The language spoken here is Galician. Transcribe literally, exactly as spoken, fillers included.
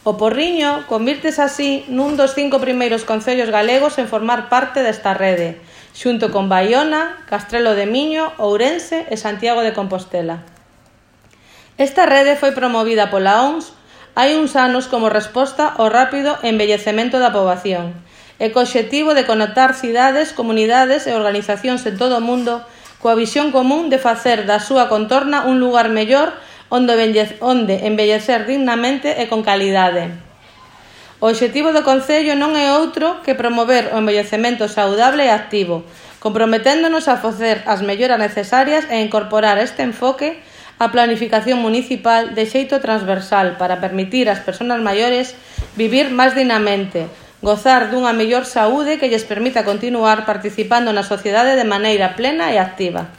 O Porriño convírtese así nun dos cinco primeiros concellos galegos en formar parte desta rede, xunto con Baiona, Castrelo de Miño, Ourense e Santiago de Compostela. Esta rede foi promovida pola O M S hai uns anos como resposta ao rápido envellecemento da poboación e co obxectivo de conectar cidades, comunidades e organizacións en todo o mundo coa visión común de facer da súa contorna un lugar mellor onde envellecer dignamente e con calidade. O obxectivo do Concello non é outro que promover o envellecemento saudable e activo, comprometéndonos a facer as melloras necesarias e incorporar este enfoque á planificación municipal de xeito transversal para permitir ás persoas maiores vivir máis dignamente, gozar dunha mellor saúde que lles permita continuar participando na sociedade de maneira plena e activa.